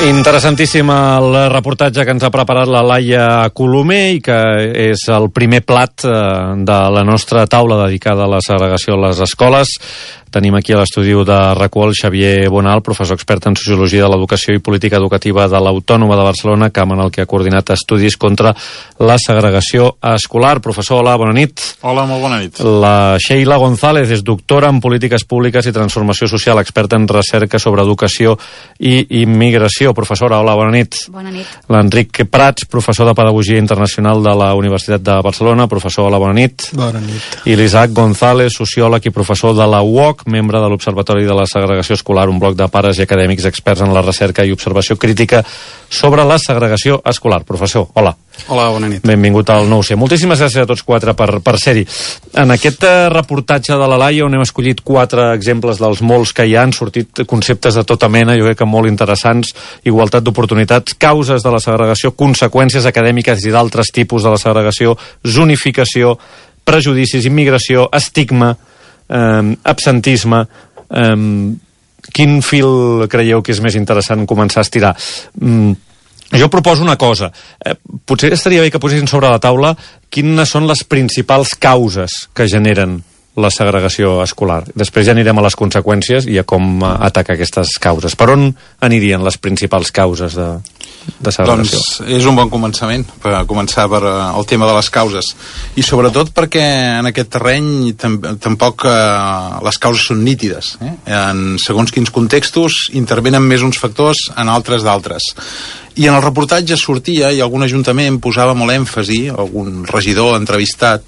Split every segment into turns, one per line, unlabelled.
Interessantíssim el reportatge que ens ha preparat la Laia Colomer i que és el primer plat de la nostra taula dedicada a la segregació a les escoles. Tenim aquí a l'estudi de RAC1 Xavier Bonal, professor expert en Sociologia de l'Educació i Política Educativa de l'Autònoma de Barcelona, camp en el que ha coordinat estudis contra la segregació escolar. Professor, hola, bona nit.
Hola, molt bona nit.
La Sheila González és doctora en Polítiques Públiques i Transformació Social, experta en recerca sobre educació i immigració. Professora, hola, bona nit.
Bona nit.
L'Enric Prats, professor de Pedagogia Internacional de la Universitat de Barcelona. Professor, hola, bona nit.
Bona nit.
I l'Isaac González, sociòleg i professor de la UOC, membre de l'Observatori de la Segregació Escolar, un bloc de pares i acadèmics experts en la recerca i observació crítica sobre la segregació escolar. Professor, hola.
Hola, bona nit.
Benvingut al 9C. Moltíssimes gràcies a tots quatre per ser-hi. En aquest reportatge de la Laia, on hem escollit 4 exemples dels molts que hi han sortit conceptes de tota mena, jo crec que molt interessants: igualtat d'oportunitats, causes de la segregació, conseqüències acadèmiques i d'altres tipus de la segregació, zonificació, prejudicis, immigració, estigma, absentisme. Quin fil creieu que és més interessant començar a estirar? Jo proposo una cosa. Potser estaria bé que posessin sobre la taula quines són les principals causes que generen la segregació escolar. Després ja anirem a les conseqüències i a com atacar aquestes causes. Per on anirien les principals causes de segregació?
Doncs és un bon començament, per començar per el tema de les causes. I sobretot perquè en aquest terreny tampoc les causes són nítides. En segons quins contextos intervenen més uns factors, en altres d'altres. I en el reportatge sortia, i algun ajuntament posava molt èmfasi, algun regidor entrevistat,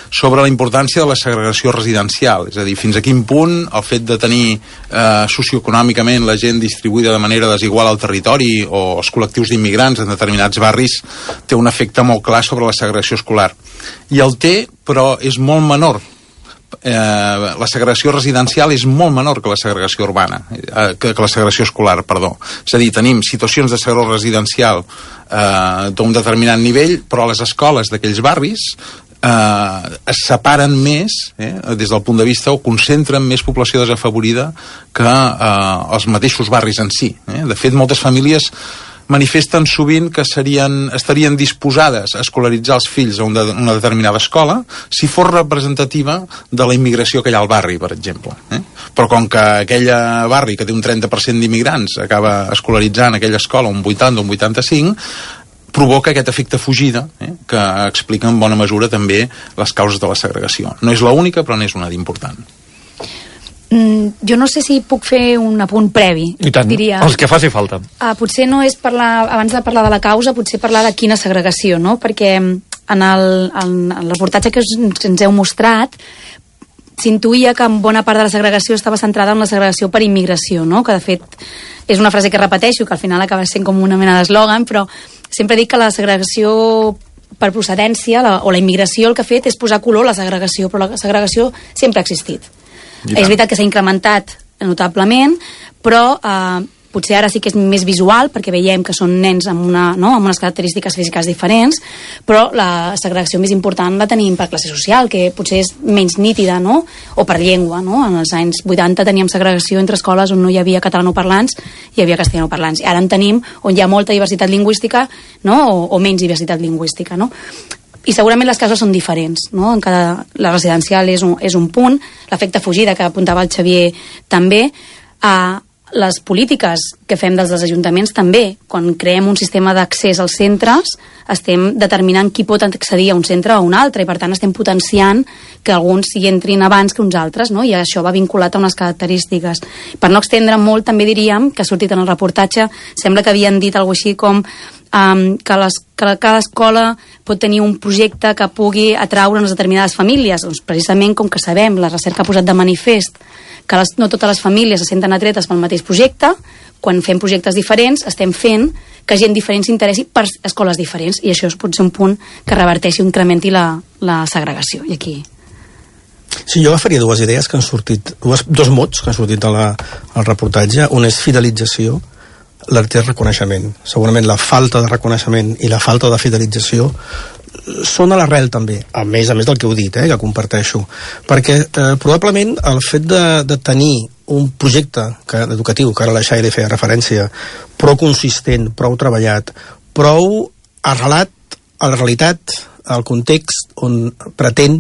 sobre la importància de la segregació residencial, és a dir, fins a quin punt el fet de tenir socioeconòmicament la gent distribuïda de manera desigual al territori o els col·lectius d'immigrants en determinats barris té un efecte molt clar sobre la segregació escolar. I el té, però és molt menor. La segregació residencial és molt menor que la segregació urbana, que la segregació escolar, perdó. És a dir, tenim situacions de segregació residencial d'un determinat nivell, però a les escoles d'aquells barris es separen més, des del punt de vista, o concentren més població desafavorida que els mateixos barris en si. De fet, moltes famílies manifesten sovint que estarien disposades a escolaritzar els fills a una determinada escola si fos representativa de la immigració que hi ha al barri, per exemple. Però com que aquell barri que té un 30% d'immigrants acaba escolaritzant aquella escola un 80 o un 85, provoca aquest efecte fugida, que explica en bona mesura també les causes de la segregació. No és l'única, però n'és una d'important.
Jo no sé si puc fer un apunt previ.
I tant,
diria,
els que faci falta.
Potser no és parlar, abans de parlar de la causa, potser parlar de quina segregació, no? Perquè en el reportatge que ens heu mostrat s'intuïa que en bona part de la segregació estava centrada en la segregació per immigració, no? Que de fet és una frase que repeteixo, que al final acaba sent com una mena d'eslògan, però sempre dic que la segregació per procedència o la immigració el que ha fet és posar color a la segregació, però la segregació sempre ha existit. És veritat que s'ha incrementat notablement, però potser ara sí que és més visual, perquè veiem que són nens amb unes característiques físiques diferents, però la segregació més important la tenim per classe social, que potser és menys nítida, no? O per llengua, no? En els anys 80 teníem segregació entre escoles on no hi havia catalanoparlants i hi havia castellanoparlants. I ara en tenim on hi ha molta diversitat lingüística, no? O menys diversitat lingüística, no? I segurament les causes són diferents, no? La residencial és un punt, l'efecte fugida que apuntava el Xavier també, les polítiques que fem des dels ajuntaments també, quan creem un sistema d'accés als centres, estem determinant qui pot accedir a un centre o a un altre, i per tant estem potenciant que alguns hi entrin abans que uns altres, no? I això va vinculat a unes característiques. Per no extendre molt, també diríem, que ha sortit en el reportatge, sembla que havien dit alguna cosa així com que cada escola pot tenir un projecte que pugui atraure unes determinades famílies. Doncs precisament com que sabem, la recerca ha posat de manifest que no totes les famílies se senten atretes pel mateix projecte, quan fem projectes diferents estem fent que gent diferent s'interessi per escoles diferents, i això pot ser un punt que reverteixi o incrementi la segregació. I aquí...
Sí, jo agafaria dues idees que han sortit, dos mots que han sortit al reportatge. Un és fidelització, l'altre és reconeixement. Segurament la falta de reconeixement i la falta de fidelització són a l'arrel també, a més del que heu dit, que comparteixo, perquè probablement el fet de tenir un projecte educatiu, que ara la Xaire feia referència, prou consistent, prou treballat, prou arrelat a la realitat, al context on pretén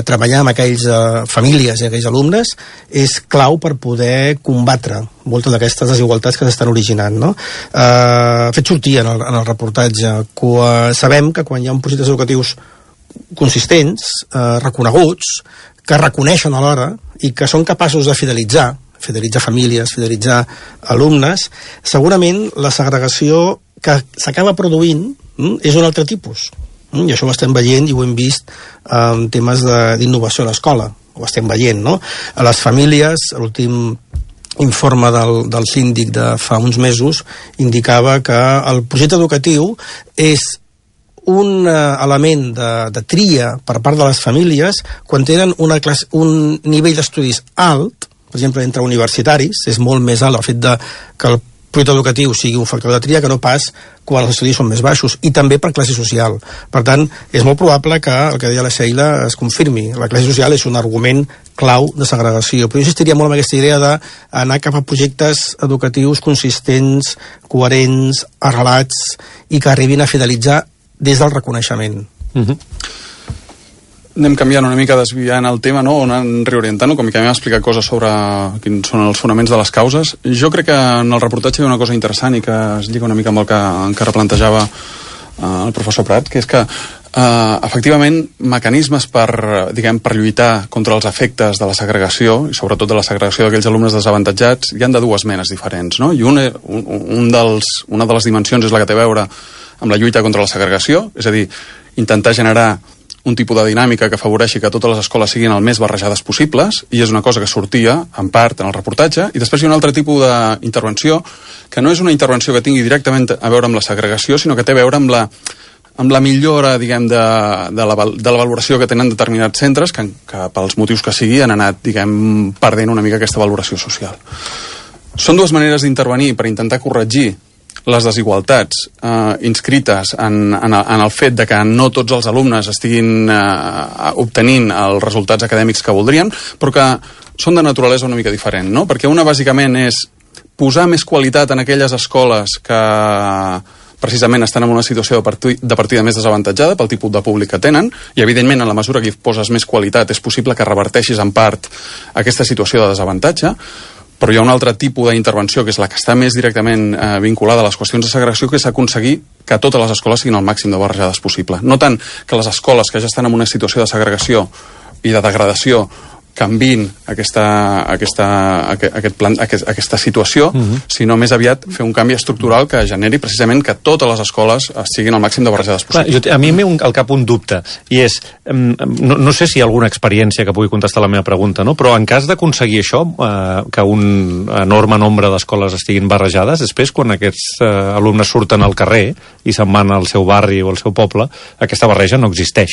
treballar amb aquells famílies i aquells alumnes, és clau per poder combatre moltes d'aquestes desigualtats que s'estan originant, no? Fet sortir en el reportatge que sabem que quan hi ha projectes educatius consistents, reconeguts, que reconeixen alhora i que són capaços de fidelitzar famílies, fidelitzar alumnes, segurament la segregació que s'acaba produint és un altre tipus. I això ho estem veient i ho hem vist en temes d'innovació a l'escola. Ho estem veient, no? A les famílies, l'últim informe del síndic de fa uns mesos indicava que el projecte educatiu és un element de tria per part de les famílies quan tenen un nivell d'estudis alt, per exemple, entre universitaris, és molt més alt el fet que el projecte educatiu sigui un factor de tria que no pas quan els estudis són més baixos, i també per classe social. Per tant, és molt probable que el que deia la Sheila es confirmi. La classe social és un argument clau de segregació, però jo insistiria molt en aquesta idea d'anar cap a projectes educatius consistents, coherents, arrelats, i que arribin a fidelitzar des del reconeixement.
Anem canviant una mica, desviant el tema, no? O anant reorientant-ho, com que hem explicat coses sobre quins són els fonaments de les causes. Jo crec que en el reportatge hi ha una cosa interessant i que es lliga una mica amb el que encara plantejava el professor Prat, que és que efectivament mecanismes per lluitar contra els efectes de la segregació, i sobretot de la segregació d'aquells alumnes desavantatjats, hi han de dues menes diferents, no? I una de les dimensions és la que té a veure amb la lluita contra la segregació, és a dir, intentar generar un tipus de dinàmica que afavoreixi que totes les escoles siguin el més barrejades possibles, i és una cosa que sortia, en part, en el reportatge. I després hi ha un altre tipus d'intervenció, que no és una intervenció que tingui directament a veure amb la segregació, sinó que té a veure amb la millora, diguem, de la valoració que tenen determinats centres, que pels motius que sigui han anat, diguem, perdent una mica aquesta valoració social. Són dues maneres d'intervenir per intentar corregir les desigualtats inscrites en el fet de que no tots els alumnes estiguin obtenint els resultats acadèmics que voldrien, però que són de naturalesa una mica diferent, no? Perquè una bàsicament és posar més qualitat en aquelles escoles que precisament estan en una situació de partida més desavantatjada pel tipus de públic que tenen, i evidentment en la mesura que hi poses més qualitat és possible que reverteixis en part aquesta situació de desavantatge. Però hi ha un altre tipus d'intervenció, que és la que està més directament vinculada a les qüestions de segregació, que és aconseguir que totes les escoles siguin el màxim de barrejades possible. No tant que les escoles que ja estan en una situació de segregació i de degradació canviïn aquesta situació, sinó més aviat fer un canvi estructural que generi precisament que totes les escoles siguin el màxim de barrejades possible.
A mi m'he al cap un dubte, i és, no sé si hi ha alguna experiència que pugui contestar la meva pregunta, no? Però en cas d'aconseguir això, que un enorme nombre d'escoles estiguin barrejades, després quan aquests alumnes surten al carrer i se'n van al seu barri o al seu poble, aquesta barreja no existeix,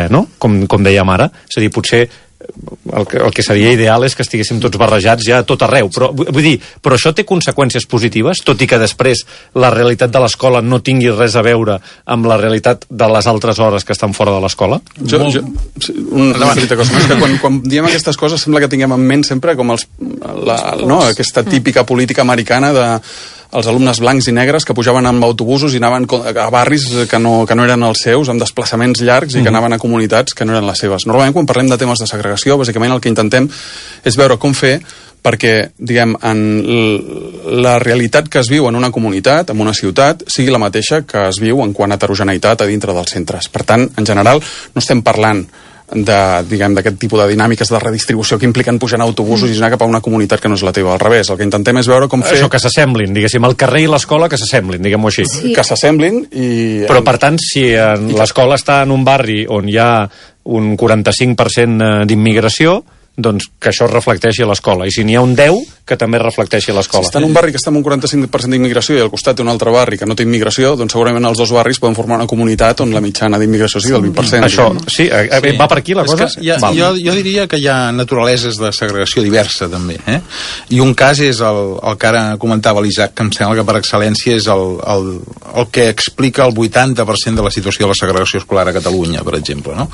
no? Com dèiem ara, és a dir, potser el que seria ideal és que estiguéssim tots barrejats ja a tot arreu, però vull dir, però això té conseqüències positives, tot i que després la realitat de l'escola no tingui res a veure amb la realitat de les altres hores que estan fora de l'escola?
Una petita cosa, és que quan diem aquestes coses sembla que tinguem en ment sempre com aquesta típica política americana de els alumnes blancs i negres que pujaven amb autobusos i anaven a barris que no eren els seus, amb desplaçaments llargs i que anaven a comunitats que no eren les seves. Normalment, quan parlem de temes de segregació, bàsicament el que intentem és veure com fer perquè, diguem, en la realitat que es viu en una comunitat, en una ciutat, sigui la mateixa que es viu en quant a heterogeneïtat a dintre dels centres. Per tant, en general, no estem parlant d'aquest tipus de dinàmiques de redistribució que impliquen pujar en autobusos i anar cap a una comunitat que no és la teva. Al revés, el que intentem és veure com fer...
Això, que s'assemblin, diguéssim, el carrer i l'escola que s'assemblin, diguem-ho així.
Sí. Que s'assemblin i...
Però, per tant, si l'escola està en un barri on hi ha un 45% d'immigració, doncs que això es reflecteixi a l'escola. I si n'hi ha un 10, que també reflecteixi l'escola.
Si està en un barri que està amb un 45% d'immigració i al costat té un altre barri que no té immigració, doncs segurament els dos barris poden formar una comunitat on la mitjana d'immigració sigui del 20%.
Això, sí, va per aquí la cosa?
Jo diria que hi ha naturaleses de segregació diversa, també. I un cas és el que ara comentava l'Isaac, que em sembla que per excel·lència és el que explica el 80% de la situació de la segregació escolar a Catalunya, per exemple, no?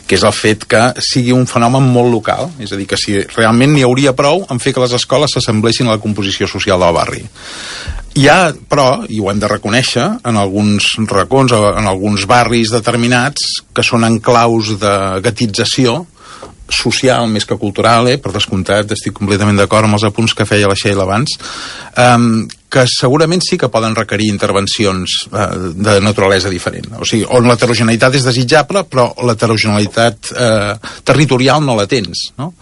Que és el fet que sigui un fenomen molt local, és a dir, que si realment n'hi hauria prou en fer que les escoles s'assemblessin a la composició social del barri. Hi ha, però, i ho hem de reconèixer, en alguns racons, en alguns barris determinats, que són enclaus de guetització social més que cultural, per descomptat, estic completament d'acord amb els apunts que feia la Sheila abans, que segurament sí que poden requerir intervencions de naturalesa diferent. O sigui, on l'heterogeneïtat és desitjable, però l'heterogeneïtat territorial no la tens, no?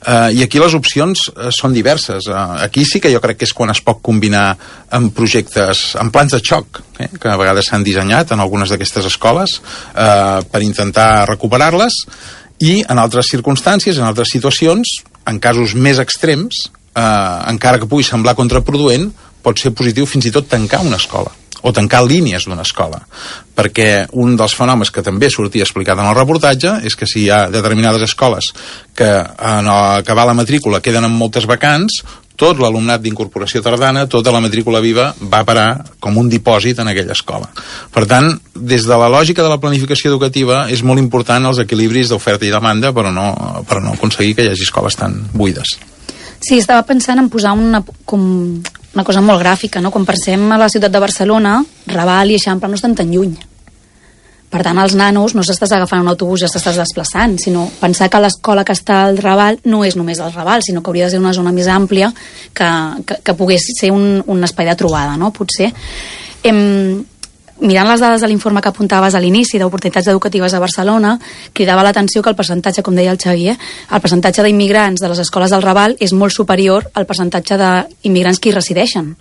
I aquí les opcions són diverses. Aquí sí que jo crec que és quan es pot combinar amb projectes, amb plans de xoc, que a vegades s'han dissenyat en algunes d'aquestes escoles per intentar recuperar-les, i en altres circumstàncies, en altres situacions, en casos més extrems, encara que pugui semblar contraproduent, pot ser positiu fins i tot tancar una escola o tancar línies d'una escola, perquè un dels fenòmens que també sortia explicat en el reportatge és que si hi ha determinades escoles que en acabar la matrícula queden amb moltes vacants, tot l'alumnat d'incorporació tardana, tota la matrícula viva va parar com un dipòsit en aquella escola. Per tant, des de la lògica de la planificació educativa és molt important els equilibris d'oferta i demanda per no aconseguir que hi hagi escoles tan buides.
Sí, estava pensant en posar una cosa molt gràfica, no? Quan pensem a la ciutat de Barcelona, Raval i Eixample no estan tan lluny. Per tant, els nanos no s'estàs agafant un autobús i s'estàs desplaçant, sinó pensar que l'escola que està al Raval no és només el Raval, sinó que hauria de ser una zona més àmplia que pogués ser un espai de trobada, no? Potser. Mirant les dades de l'informe que apuntaves a l'inici d'oportunitats educatives a Barcelona, cridava l'atenció que el percentatge, com deia el Xavier, el percentatge d'immigrants de les escoles del Raval és molt superior al percentatge d'immigrants que hi resideixen.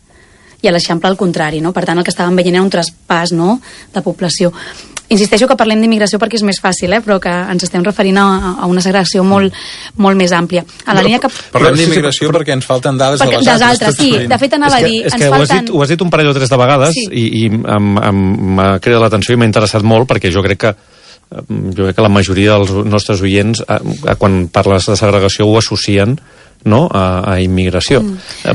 I a l'Eixample al contrari, no? Per tant, el que estàvem veient era un traspàs, no?, de població. Insisteixo que parlem d'immigració perquè és més fàcil, però que ens estem referint a una segregació molt més àmplia. A la línia que...
Parlem d'immigració perquè ens falten dades de les altres.
Sí, de fet anava a dir...
És que ho has dit un parell o tres de vegades, sí. i m'ha cridat l'atenció i m'ha interessat molt, perquè jo crec que la majoria dels nostres oients, quan parles de segregació, ho associen, no?, a immigració.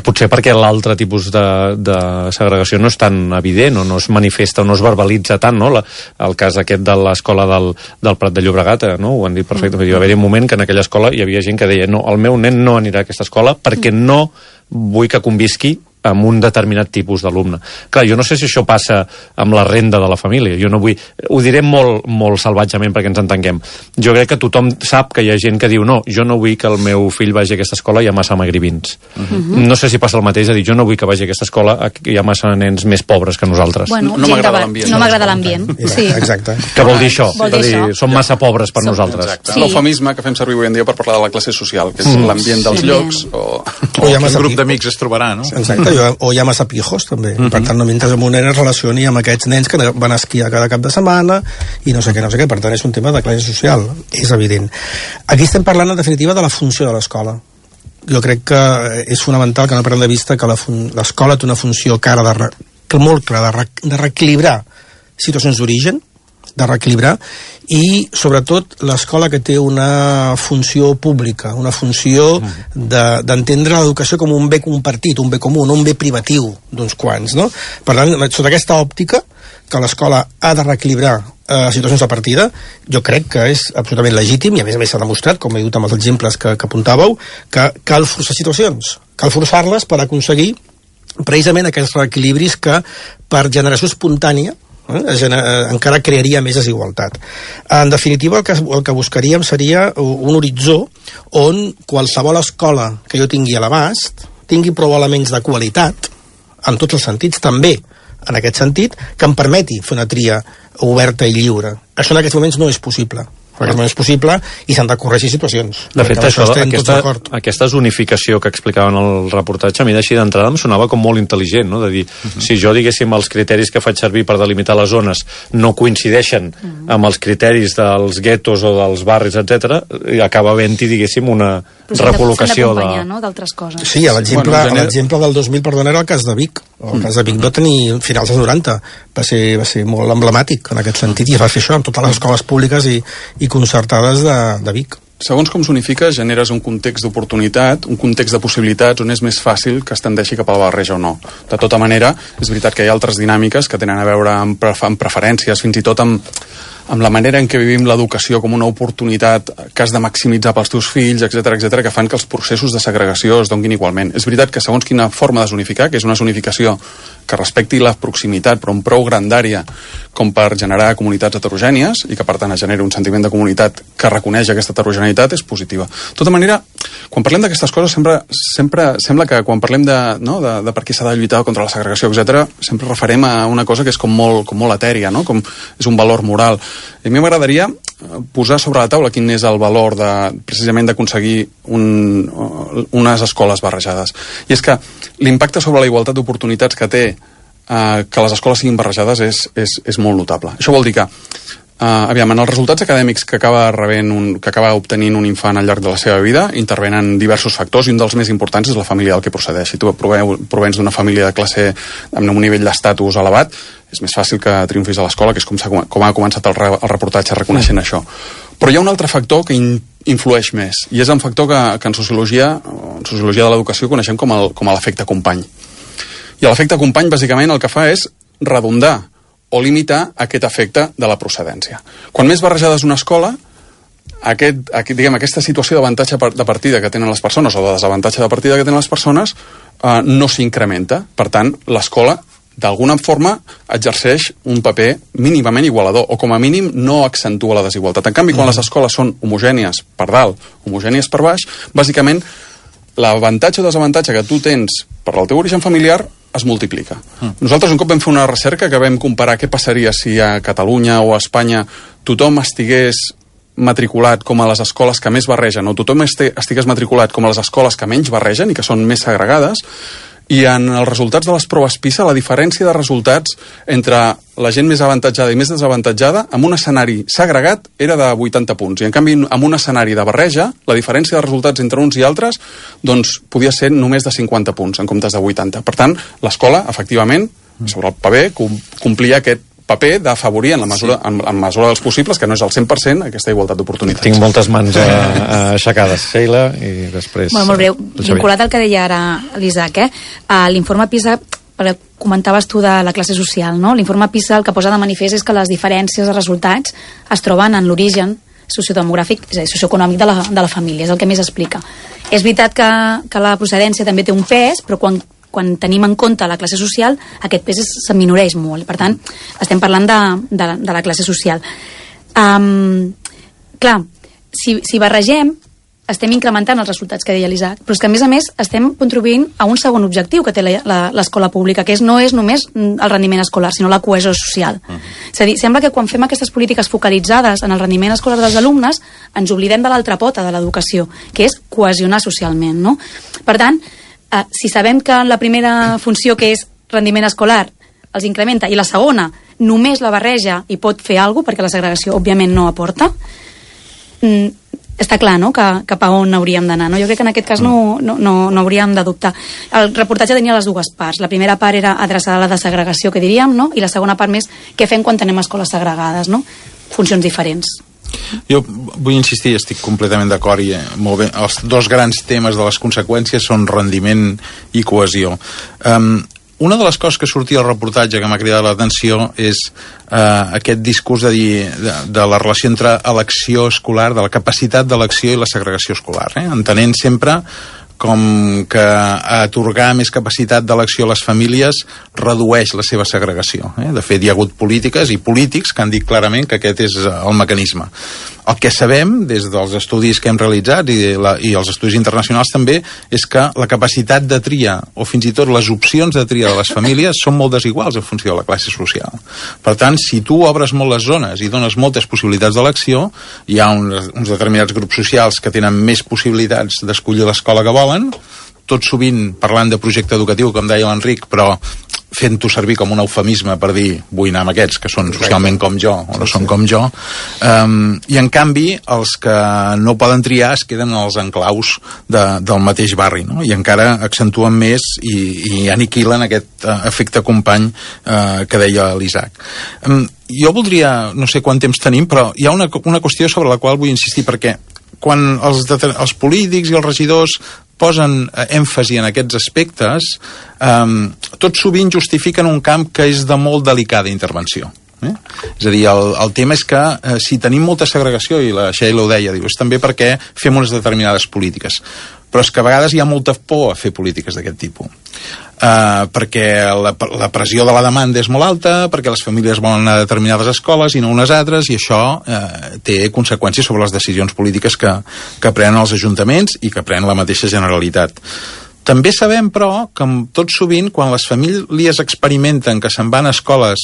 Potser perquè l'altre tipus de segregació no és tan evident o no es manifesta o no es verbalitza tant, no? El cas aquest de l'escola del Prat de Llobregat, no? Ho han dit perfectament. Va haver-hi un moment que en aquella escola hi havia gent que deia no, el meu nen no anirà a aquesta escola perquè no vull que convisqui amb un determinat tipus d'alumne. Clar, jo no sé si això passa amb la renda de la família. Jo no vull... Ho diré molt, molt salvatgement perquè ens entenguem. Jo crec que tothom sap que hi ha gent que diu no, jo no vull que el meu fill vagi a aquesta escola, hi ha massa magribins. No sé si passa el mateix, a dir, jo no vull que vagi a aquesta escola, hi ha massa nens més pobres que nosaltres.
Bueno, no m'agrada l'ambient. No m'agrada l'ambient. Sí.
Exacte.
Què vol dir això? Són massa pobres per nosaltres.
Exacte. Sí. L'eufemisme que fem servir avui en dia per parlar de la classe social, que és l'ambient dels llocs o
quin grup d'amics es trobarà, no?
Exacte, o hi ha massa pijos també, per tant no mentre amb un nen es relacioni amb aquests nens que van a esquiar cada cap de setmana i no sé què, per tant és un tema de classe social, és evident. Aquí estem parlant en definitiva de la funció de l'escola. Jo crec que és fonamental que no perdem de vista que l'escola té una funció molt clara de reequilibrar situacions d'origen, de reequilibrar, i sobretot l'escola que té una funció pública, una funció d'entendre l'educació com un bé compartit, un bé comú, no un bé privatiu d'uns quants, no? Per tant, sota aquesta òptica que l'escola ha de reequilibrar situacions de partida, jo crec que és absolutament legítim, i a més s'ha demostrat, com he dit amb els exemples que apuntàveu, que cal forçar situacions, cal forçar-les per aconseguir precisament aquests reequilibris que per generació espontània encara crearia més desigualtat. En definitiva, el que buscaríem seria un horitzó on qualsevol escola que jo tingui a l'abast tingui prou elements de qualitat, en tots els sentits, també en aquest sentit, que em permeti fer una tria oberta i lliure. Això en aquests moments no és possible. en aquest moment és possible i s'han de corregir situacions.
De fet, aquesta zonificació que explicaven al reportatge, a mi d'així d'entrada em sonava com molt intel·ligent, no? De dir, si jo, diguéssim, els criteris que faig servir per delimitar les zones no coincideixen amb els criteris dels guetos o dels barris, etc, acaba havent-hi, diguéssim, una recol·locació
d'altres coses.
Sí, l'exemple del 2000, perdona, era el cas de Vic. El cas de Vic va tenir finals dels 90, va ser molt emblemàtic en aquest sentit, i es va fer això amb totes les escoles públiques i concertades de Vic.
Segons com s'unifica, generes un context d'oportunitat, un context de possibilitats on és més fàcil que es tendeixi cap a la barreja o no. De tota manera, és veritat que hi ha altres dinàmiques que tenen a veure amb preferències, fins i tot amb la manera en què vivim l'educació com una oportunitat que has de maximitzar pels teus fills, etc, que fan que els processos de segregació es donguin igualment. És veritat que segons quina forma de zonificar, que és una zonificació que respecti la proximitat, però amb prou grandària com per generar comunitats heterogènies i que, per tant, es generi un sentiment de comunitat que reconeix aquesta heterogeneïtat, és positiva. De tota manera, quan parlem d'aquestes coses, sempre sembla que quan parlem de per què s'ha de lluitar contra la segregació, etc, sempre referem a una cosa que és com molt etèria, no? Com és un valor moral. I a mi m'agradaria posar sobre la taula quin és el valor precisament d'aconseguir unes escoles barrejades. I és que l'impacte sobre la igualtat d'oportunitats que té que les escoles siguin barrejades és molt notable. Això vol dir que en els resultats acadèmics que acaba obtenint un infant al llarg de la seva vida intervenen diversos factors, i un dels més importants és la família del que procedeix. Si tu provens d'una família de classe amb un nivell d'estatus elevat, és més fàcil que triomfis a l'escola, que és com ha començat el reportatge reconeixent això. Però hi ha un altre factor que influeix més, i és un factor que en sociologia de l'educació coneixem com l'efecte company. I l'efecte company, bàsicament, el que fa és redundar o limitar aquest efecte de la procedència. Quan més barrejada és una escola, aquesta situació d'avantatge de partida que tenen les persones o de desavantatge de partida que tenen les persones no s'incrementa. Per tant, l'escola d'alguna forma exerceix un paper mínimament igualador, o com a mínim no accentua la desigualtat. En canvi, quan les escoles són homogènies per dalt, homogènies per baix, bàsicament l'avantatge o desavantatge que tu tens per el teu origen familiar es multiplica. Nosaltres un cop vam fer una recerca que vam comparar què passaria si a Catalunya o a Espanya tothom estigués matriculat com a les escoles que més barregen, o tothom estigués matriculat com a les escoles que menys barregen i que són més segregades. I en els resultats de les proves PISA, la diferència de resultats entre la gent més avantatjada i més desavantatjada, en un escenari segregat, era de 80 punts. I, en canvi, en un escenari de barreja, la diferència de resultats entre uns i altres, doncs, podia ser només de 50 punts, en comptes de 80. Per tant, l'escola, efectivament, sobre el paper, complia aquest paper d'afavorir en mesura dels possibles, que no és el 100%, aquesta igualtat d'oportunitats.
Tinc moltes mans aixecades, Sheila, i després...
Molt breu, vinculat al que deia ara l'Isaac, l'informe PISA, comentaves tu de la classe social, no? L'informe PISA el que posa de manifest és que les diferències de resultats es troben en l'origen sociodemogràfic, és a dir, socioeconòmic de la família, és el que més explica. És veritat que la procedència també té un pes, però quan tenim en compte la classe social, aquest pes s'aminoreix molt. Per tant, estem parlant de la classe social. Clar, si barregem, estem incrementant els resultats que deia l'Isaac, però és que, a més, estem contribuint a un segon objectiu que té l'escola pública, que no és només el rendiment escolar, sinó la cohesió social. És a dir, sembla que quan fem aquestes polítiques focalitzades en el rendiment escolar dels alumnes, ens oblidem de l'altra pota de l'educació, que és cohesionar socialment, no? Per tant, si sabem que la primera funció, que és rendiment escolar, els incrementa, i la segona només la barreja i pot fer alguna cosa, perquè la segregació òbviament no aporta, està clar, no?, cap a on hauríem d'anar, no? Jo crec que en aquest cas no hauríem de dubtar. El reportatge tenia les dues parts. La primera part era adreçada a la desegregació, que diríem, no?, i la segona part més què fem quan tenem escoles segregades, no? Funcions diferents.
Jo vull insistir, estic completament d'acord, i molt bé, els dos grans temes de les conseqüències són rendiment i cohesió. Una de les coses que sortia al reportatge que m'ha cridat l'atenció és aquest discurs de la relació entre elecció escolar, de la capacitat d'elecció i la segregació escolar, entenent sempre com que atorgar més capacitat d'elecció a les famílies redueix la seva segregació. De fet, hi ha hagut polítiques i polítics que han dit clarament que aquest és el mecanisme. El que sabem, des dels estudis que hem realitzat i els estudis internacionals també, és que la capacitat de tria, o fins i tot les opcions de tria de les famílies, són molt desiguals en funció de la classe social. Per tant, si tu obres molt les zones i dones moltes possibilitats d'elecció, hi ha uns determinats grups socials que tenen més possibilitats d'escollir l'escola que volen, tot sovint parlant de projecte educatiu, com deia l'Enric, però fent-ho servir com un eufemisme per dir vull anar amb aquests que són socialment com jo o no són com jo, i en canvi els que no poden triar es queden als enclaus del mateix barri, no? I encara accentuen més i aniquilen aquest efecte company que deia l'Isaac. Jo voldria, no sé quant temps tenim, però hi ha una qüestió sobre la qual vull insistir, perquè quan els polítics i els regidors posen èmfasi en aquests aspectes, tot sovint justifiquen un camp que és de molt delicada intervenció. És a dir, el tema és que si tenim molta segregació, i la Sheila ho deia, diu, és també perquè fem unes determinades polítiques. Però és que a vegades hi ha molta por a fer polítiques d'aquest tipus. Perquè la pressió de la demanda és molt alta, perquè les famílies volen anar a determinades escoles i no unes altres, i això té conseqüències sobre les decisions polítiques que prenen els ajuntaments i que pren la mateixa Generalitat. També sabem, però, que tot sovint, quan les famílies experimenten que se'n van a escoles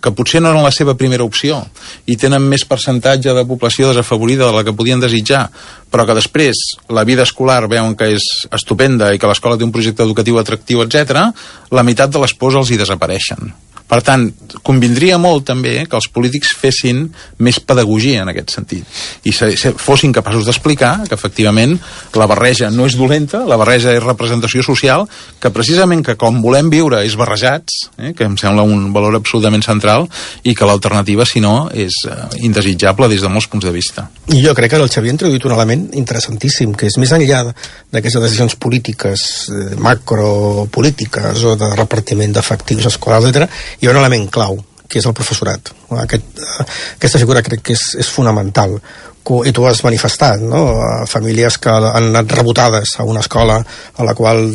que potser no eren la seva primera opció i tenen més percentatge de població desafavorida de la que podien desitjar, però que després la vida escolar veuen que és estupenda i que l'escola té un projecte educatiu atractiu, etc., la meitat de les pors els hi desapareixen. Per tant, convindria molt també que els polítics fessin més pedagogia en aquest sentit i fossin capaços d'explicar que efectivament la barreja no és dolenta, la barreja és representació social, que precisament que com volem viure és barrejats, que em sembla un valor absolutament central, i que l'alternativa, si no, és indesitjable des de molts punts de vista.
I jo crec que el Xavier ha introduït un element interessantíssim, que és més enllà d'aquestes decisions polítiques, macropolítiques o de repartiment d'efectius escolars, etc., hi ha un element clau, que és el professorat. Aquesta figura crec que és fonamental. I tu has manifestat, no? Famílies que han anat rebotades a una escola a la qual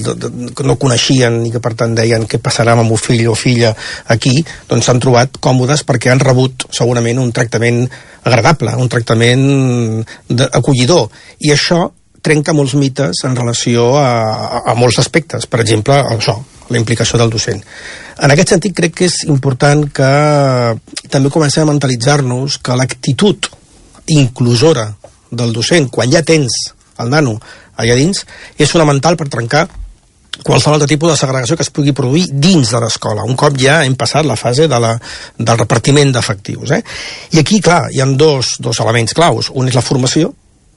no coneixien i que per tant deien què passarà amb el meu fill o filla aquí, doncs s'han trobat còmodes perquè han rebut segurament un tractament agradable, un tractament acollidor. I això trenca molts mites en relació a molts aspectes. Per exemple, això, la implicació del docent. En aquest sentit, crec que és important que també comencem a mentalitzar-nos que l'actitud inclusora del docent, quan ja tens el nano allà dins, és fonamental per trencar qualsevol altre tipus de segregació que es pugui produir dins de l'escola, un cop ja hem passat la fase del repartiment d'efectius. I aquí, clar, hi ha dos elements claus. Un és la formació,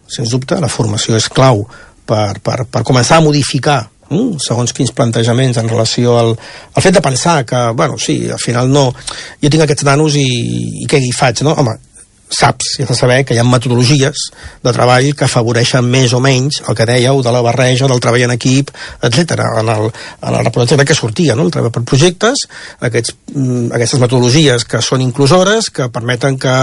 sens dubte, la formació és clau per començar a modificar segons quins plantejaments en relació al fet de pensar que, bueno, sí, al final no, jo tinc aquests nanos i què hi faig, no? Home, saps, i has de saber que hi ha metodologies de treball que afavoreixen més o menys el que dèieu de la barreja, del treball en equip, etc. En el reportatge que sortia, no? El treball per projectes, aquestes metodologies que són inclusores, que permeten que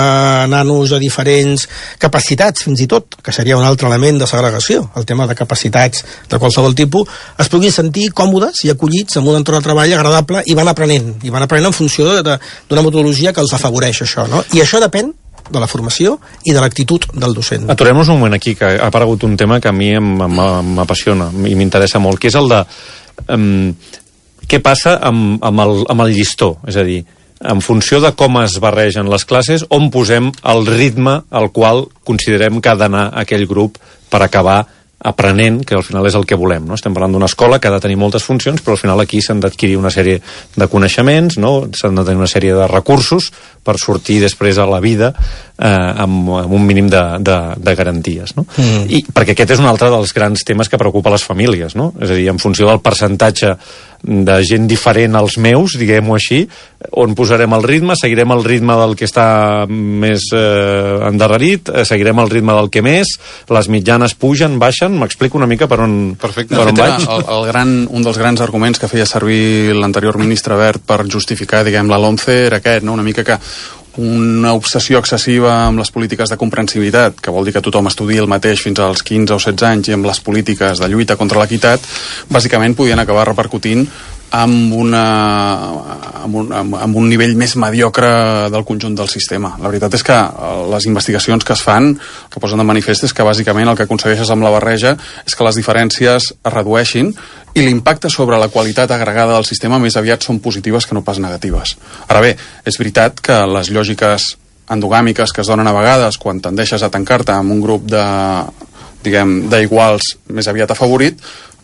nanos de diferents capacitats, fins i tot, que seria un altre element de segregació, el tema de capacitats de qualsevol tipus, es puguin sentir còmodes i acollits en un entorn de treball agradable i van aprenent en funció d'una metodologia que els afavoreix això, no? I això depèn de la formació i de l'actitud del docent.
Aturem-nos un moment aquí, que ha aparegut un tema que a mi m'apassiona i m'interessa molt, que és el de què passa amb el llistó, és a dir, en funció de com es barregen les classes, on posem el ritme al qual considerem que ha d'anar aquell grup per acabar aprenent, que al final és el que volem, no? Estem parlant d'una escola que ha de tenir moltes funcions, però al final aquí s'han d'adquirir una sèrie de coneixements, no? S'han de tenir una sèrie de recursos per sortir després a la vida amb un mínim de garanties, no? I perquè aquest és un altre dels grans temes que preocupa les famílies, no? És a dir, en funció del percentatge de gent diferent als meus, diguem-ho així, on posarem el ritme, seguirem el ritme del que està més endarrerit, seguirem el ritme del que més, les mitjanes pugen, baixen, m'explico una mica per on,
perfecte.
Per on vaig?
Un dels grans arguments que feia servir l'anterior ministre Wert per justificar, diguem, la LOMCE era aquest, no? Una mica que una obsessió excessiva amb les polítiques de comprensibilitat, que vol dir que tothom estudi el mateix fins als 15 o 16 anys, i amb les polítiques de lluita contra l'equitat, bàsicament podien acabar repercutint amb un nivell més mediocre del conjunt del sistema. La veritat és que les investigacions que es fan, que posen de manifest, és que bàsicament el que aconsegueixes amb la barreja és que les diferències es redueixin i l'impacte sobre la qualitat agregada del sistema més aviat són positives que no pas negatives. Ara bé, és veritat que les lògiques endogàmiques que es donen a vegades quan tendeixes a tancar-te amb un grup d'iguals més aviat afavorit,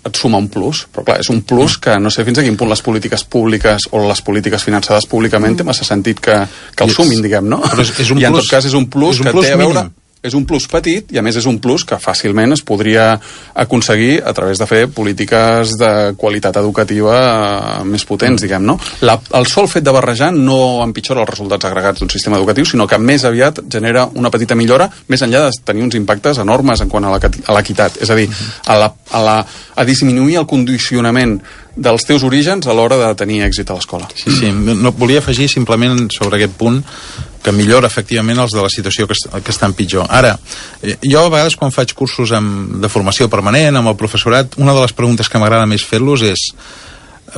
et suma un plus, però clar, és un plus que no sé fins a quin punt les polítiques públiques o les polítiques finançades públicament té massa sentit que el sumin, diguem, no?
Però és un
I en
plus,
tot cas és un plus que té a veure...
mínim.
És un plus petit i a més és un plus que fàcilment es podria aconseguir a través de fer polítiques de qualitat educativa més potents, diguem, no? El sol fet de barrejar no empitjora els resultats agregats d'un sistema educatiu, sinó que més aviat genera una petita millora, més enllà de tenir uns impactes enormes en quant a l'equitat, és a dir, a disminuir el condicionament dels teus orígens a l'hora de tenir èxit a l'escola.
Sí, no, volia afegir simplement sobre aquest punt que millora efectivament els de la situació que estan pitjor. Ara, jo a vegades quan faig cursos de formació permanent amb el professorat, una de les preguntes que m'agrada més fer-los és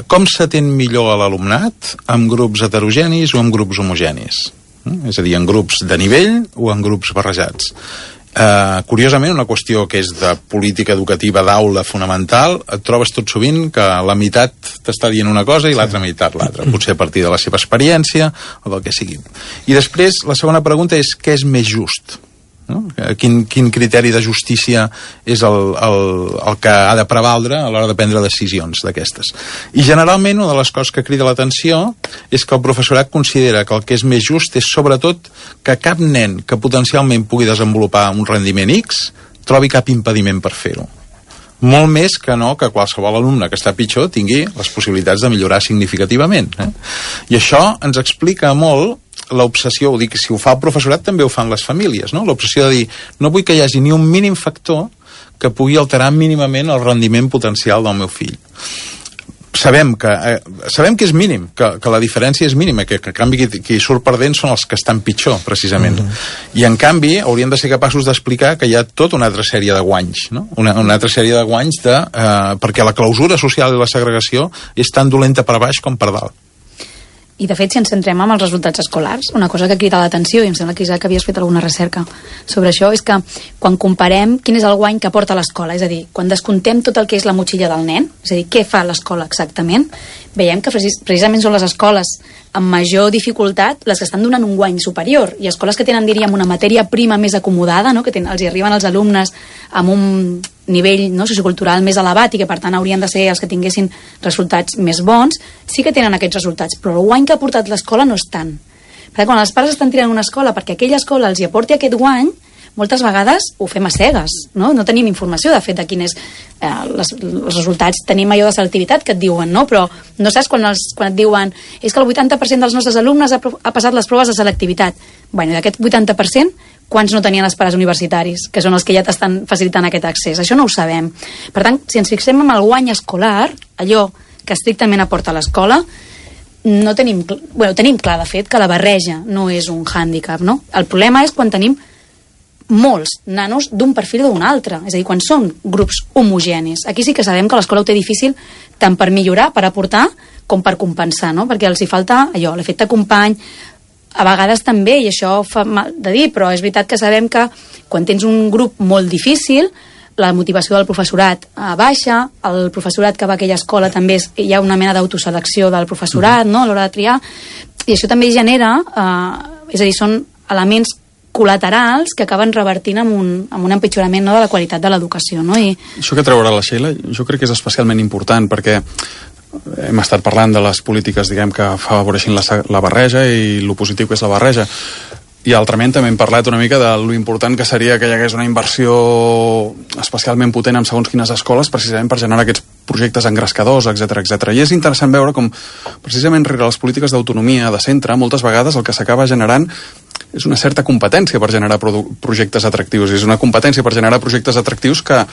com s'atén millor a l'alumnat amb grups heterogenis o amb grups homogenis? És a dir, en grups de nivell o en grups barrejats? Curiosament, una qüestió que és de política educativa d'aula fonamental, et trobes tot sovint que la meitat t'està dient una cosa i l'altra meitat l'altra, potser a partir de la seva experiència o del que sigui. I després, la segona pregunta és què és més just? No? Quin criteri de justícia és el que ha de prevaldre a l'hora de prendre decisions d'aquestes. I generalment una de les coses que crida l'atenció és que el professorat considera que el que és més just és sobretot que cap nen que potencialment pugui desenvolupar un rendiment X trobi cap impediment per fer-ho. Molt més que no que qualsevol alumne que està pitjor tingui les possibilitats de millorar significativament. I això ens explica molt l'obsessió, ho dic, si ho fa el professorat també ho fan les famílies, no? L'obsessió de dir, no vull que hi hagi ni un mínim factor que pugui alterar mínimament el rendiment potencial del meu fill. Sabem que és mínim, que la diferència és mínima, que en canvi qui surt perdent són els que estan pitjor, precisament. I en canvi hauríem de ser capaços d'explicar que hi ha tota una altra sèrie de guanys, no? Una altra sèrie de guanys perquè la clausura social i la segregació és tan dolenta per baix com per dalt.
I, de fet, si ens centrem en els resultats escolars, una cosa que crida l'atenció, i em sembla que, Isaac, havies fet alguna recerca sobre això, és que quan comparem quin és el guany que porta l'escola, és a dir, quan descontem tot el que és la motxilla del nen, és a dir, què fa l'escola exactament, veiem que precisament són les escoles amb major dificultat les que estan donant un guany superior, i escoles que tenen, diríem, una matèria prima més acomodada, no? Que els hi arriben els alumnes amb un nivell, no, sociocultural més elevat i que per tant haurien de ser els que tinguessin resultats més bons, sí que tenen aquests resultats, però el guany que ha portat l'escola no és tant. Perquè quan els pares estan tirant una escola perquè aquella escola els hi aporti aquest guany, moltes vegades ho fem a cegues, no? No tenim informació, de fet, de quins els resultats. Tenim allò de selectivitat que et diuen, no? Però no saps quan et diuen és que el 80% dels nostres alumnes ha passat les proves de selectivitat. Bueno, d'aquest 80%, quants no tenien els pares universitaris, que són els que ja t'estan facilitant aquest accés? Això no ho sabem. Per tant, si ens fixem en el guany escolar, allò que estrictament aporta l'escola, no tenim clar, de fet, que la barreja no és un hàndicap, no? El problema és quan tenim molts nanos d'un perfil o d'un altre, és a dir, quan són grups homogenis. Aquí sí que sabem que l'escola ho té difícil tant per millorar, per aportar, com per compensar, no? Perquè els hi falta allò, l'efecte company, a vegades també, i això fa mal de dir, però és veritat que sabem que quan tens un grup molt difícil, la motivació del professorat baixa, el professorat que va a aquella escola també hi ha una mena d'autoselecció del professorat, no?, a l'hora de triar, i això també genera, és a dir, són elements col·laterals que acaben revertint amb un empitjorament, no?, de la qualitat de l'educació, no? I
això que treurà la Sheila, jo crec que és especialment important, perquè hem estat parlant de les polítiques, diguem, que afavoreixin la barreja i lo positiu que és la barreja. I altrament també hem parlat una mica de lo important que seria que hi hagués una inversió especialment potent en segons quines escoles, precisament per generar aquests projectes engrescadors, etc etc. I és interessant veure com, precisament rere les polítiques d'autonomia de centre, moltes vegades el que s'acaba generant és una certa competència per generar projectes atractius. És una competència per generar projectes atractius que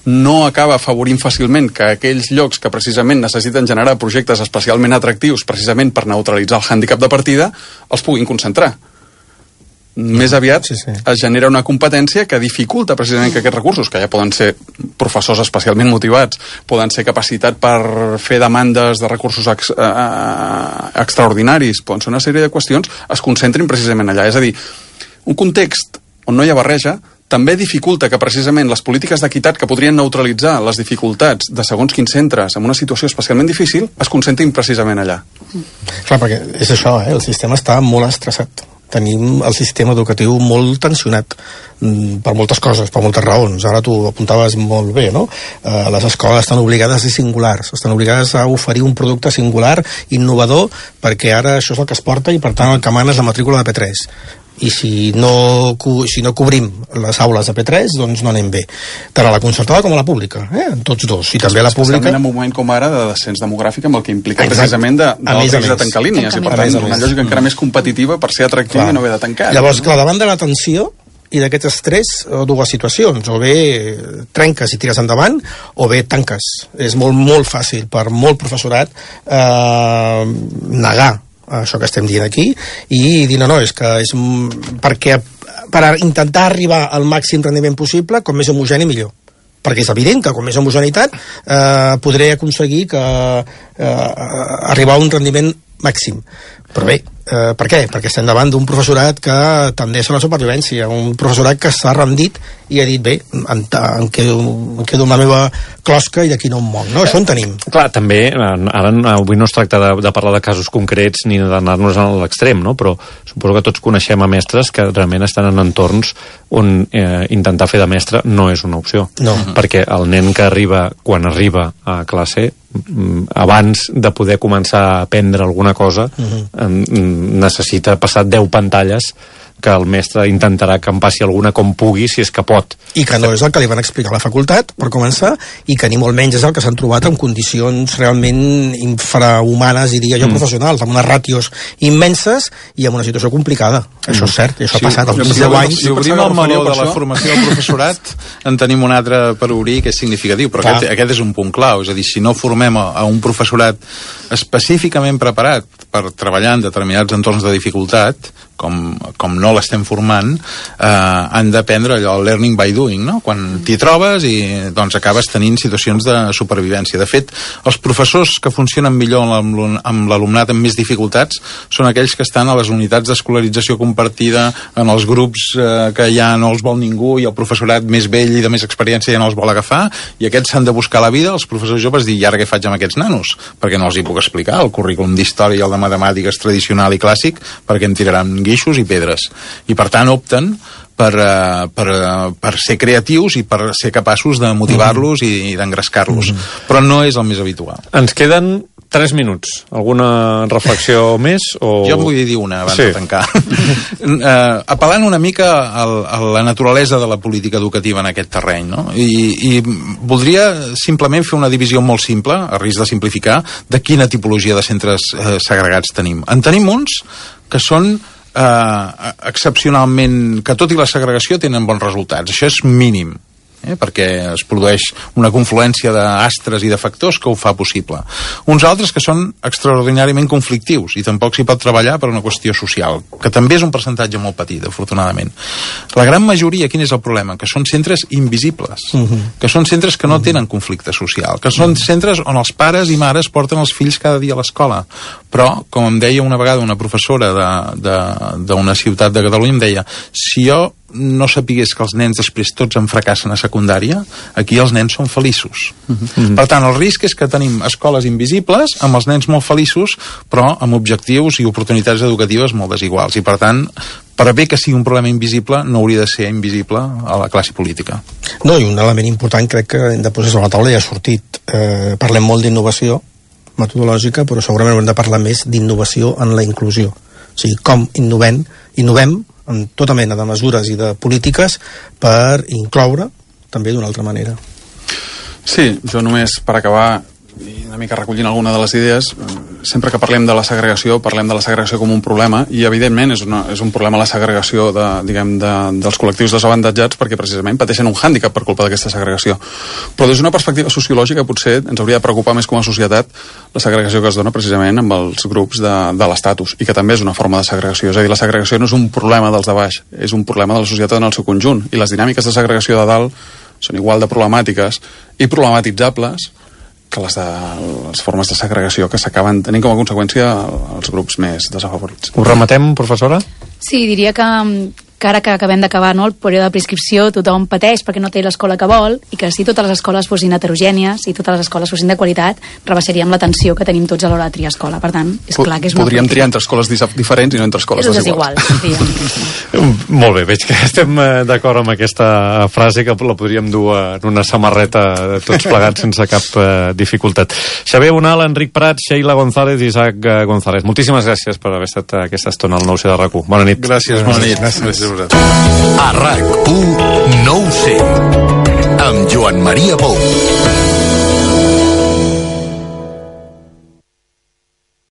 no acaba afavorint fàcilment que aquells llocs que precisament necessiten generar projectes especialment atractius, precisament per neutralitzar el hàndicap de partida, els puguin concentrar. Més aviat es genera una competència que dificulta precisament que aquests recursos, que ja poden ser professors especialment motivats, poden ser capacitat per fer demandes de recursos extraordinaris, poden ser una sèrie de qüestions, es concentrin precisament allà. És a dir, un context on no hi ha barreja també dificulta que precisament les polítiques d'equitat que podrien neutralitzar les dificultats de segons quins centres en una situació especialment difícil es concentrin precisament allà.
Clar, perquè és això, el sistema està molt estressat. Tenim el sistema educatiu molt tensionat per moltes coses, per moltes raons. Ara tu apuntaves molt bé, no? Les escoles estan obligades a ser singulars, estan obligades a oferir un producte singular, innovador, perquè ara això és el que es porta i per tant el que mana és la matrícula de P3. I si no cobrim les aules de P3, doncs no anem bé. Tant a la concertada com a la pública, en tots dos. I també a la pública...
Especialment en un moment com ara de descens demogràfic, amb el que implica precisament del risc de tancar línies. I per tant, una lògica encara més competitiva per ser atractiva i no haver de tancar.
Llavors, clar, davant de la tensió i d'aquest estrès, dues situacions. O bé trenques i tires endavant, o bé tanques. És molt, molt fàcil per molt professorat negar això que estem dient aquí i dir no, és que és perquè per intentar arribar al màxim rendiment possible, com més homogeni millor, perquè és evident que com més homogeneïtat podré aconseguir arribar a un rendiment màxim. Però bé, per què? Perquè estem davant d'un professorat que tendeix a la supervivència, un professorat que s'ha rendit i ha dit, bé, em quedo amb la meva closca i d'aquí no em moc, no? Això en tenim.
Clar, també, ara avui no es tracta de parlar de casos concrets ni d'anar-nos a l'extrem, no? Però suposo que tots coneixem a mestres que realment estan en entorns on intentar fer de mestre no és una opció.
No.
Perquè el nen que arriba, quan arriba a classe, abans de poder començar a aprendre alguna cosa, necessita passar 10 pantalles que el mestre intentarà que en passi alguna com pugui, si és que pot.
I que no és el que li van explicar a la facultat, per començar, i que ni molt menys és el que s'han trobat en condicions realment infrahumanes, diria jo, professionals, amb unes ràtios immenses i amb una situació complicada. Això és cert, i això ha passat als 10 anys.
Si obrim el meló de la formació del professorat, en tenim un altre per obrir que és significatiu, però aquest és un punt clau. És a dir, si no formem a un professorat específicament preparat per treballar en determinats entorns de dificultat, com no l'estem formant, han d'aprendre allò, el learning by doing, no? Quan t'hi trobes i doncs acabes tenint situacions de supervivència. De fet, els professors que funcionen millor amb l'alumnat amb més dificultats són aquells que estan a les unitats d'escolarització compartida, en els grups que ja no els vol ningú i el professorat més vell i de més experiència ja no els vol agafar, i aquests s'han de buscar la vida. Els professors joves dir, i ara què faig amb aquests nanos? Perquè no els hi puc explicar el currículum d'història i el de matemàtiques tradicional i clàssic, perquè em tiraran guixos i pedres. I per tant opten per ser creatius i per ser capaços de motivar-los i d'engrescar-los. Però no és el més habitual.
Ens queden 3 minuts. Alguna reflexió més? O...
Jo en vull dir una abans de tancar. Apel·lant una mica a la naturalesa de la política educativa en aquest terreny, no? I voldria simplement fer una divisió molt simple, a risc de simplificar, de quina tipologia de centres segregats tenim. En tenim uns que són excepcionalment, que tot i la segregació tenen bons resultats. Això és mínim, perquè es produeix una confluència d'astres i de factors que ho fa possible. Uns altres que són extraordinàriament conflictius i tampoc s'hi pot treballar per una qüestió social, que també és un percentatge molt petit, afortunadament. La gran majoria, quin és el problema? Que són centres invisibles, que són centres que no tenen conflicte social, que són centres on els pares i mares porten els fills cada dia a l'escola. Però, com em deia una vegada una professora d'una ciutat de Catalunya, em deia, si jo no sapigués que els nens després tots en fracassen a secundària, aquí els nens són feliços. Per tant, el risc és que tenim escoles invisibles amb els nens molt feliços, però amb objectius i oportunitats educatives molt desiguals. I per tant, per bé que sigui un problema invisible, no hauria de ser invisible a la classe política.
No, i un element important crec que hem de posar sobre la taula ja ha sortit. Parlem molt d'innovació metodològica, però segurament hem de parlar més d'innovació en la inclusió. O sigui, com innovem amb tota mena de mesures i de polítiques per incloure també d'una altra manera.
Sí, jo només per acabar i una mica recollint alguna de les idees, sempre que parlem de la segregació com un problema, i evidentment és un problema la segregació dels col·lectius desavantatjats, perquè precisament pateixen un hàndicap per culpa d'aquesta segregació. Però des d'una perspectiva sociològica potser ens hauria de preocupar més com a societat la segregació que es dona precisament amb els grups de l'estatus, i que també és una forma de segregació. És a dir, la segregació no és un problema dels de baix, és un problema de la societat en el seu conjunt, i les dinàmiques de segregació de dalt són igual de problemàtiques i problematitzables que les formes de segregació que s'acaben tenint com a conseqüència els grups més desafavorits.
Ho rematem, professora?
Sí, diria que ara que acabem d'acabar el període de prescripció, tothom pateix perquè no té l'escola que vol, i que si totes les escoles fossin heterogènies i totes les escoles fossin de qualitat, rebassaríem l'atenció que tenim tots a l'hora de triar escola. Per tant, és clar que és una...
Podríem triar entre escoles diferents i no entre escoles desiguals.
Molt bé, veig que estem d'acord amb aquesta frase, que la podríem dur en una samarreta tots plegats sense cap dificultat. Xavier Bonal, Enric Prats, Sheila González i Isaac González. Moltíssimes gràcies per haver estat aquesta estona al 9C de RAC1. Bona nit.
Gràcies, bona nit. Gràcies.
A RAC1 9C amb Joan Maria Pou.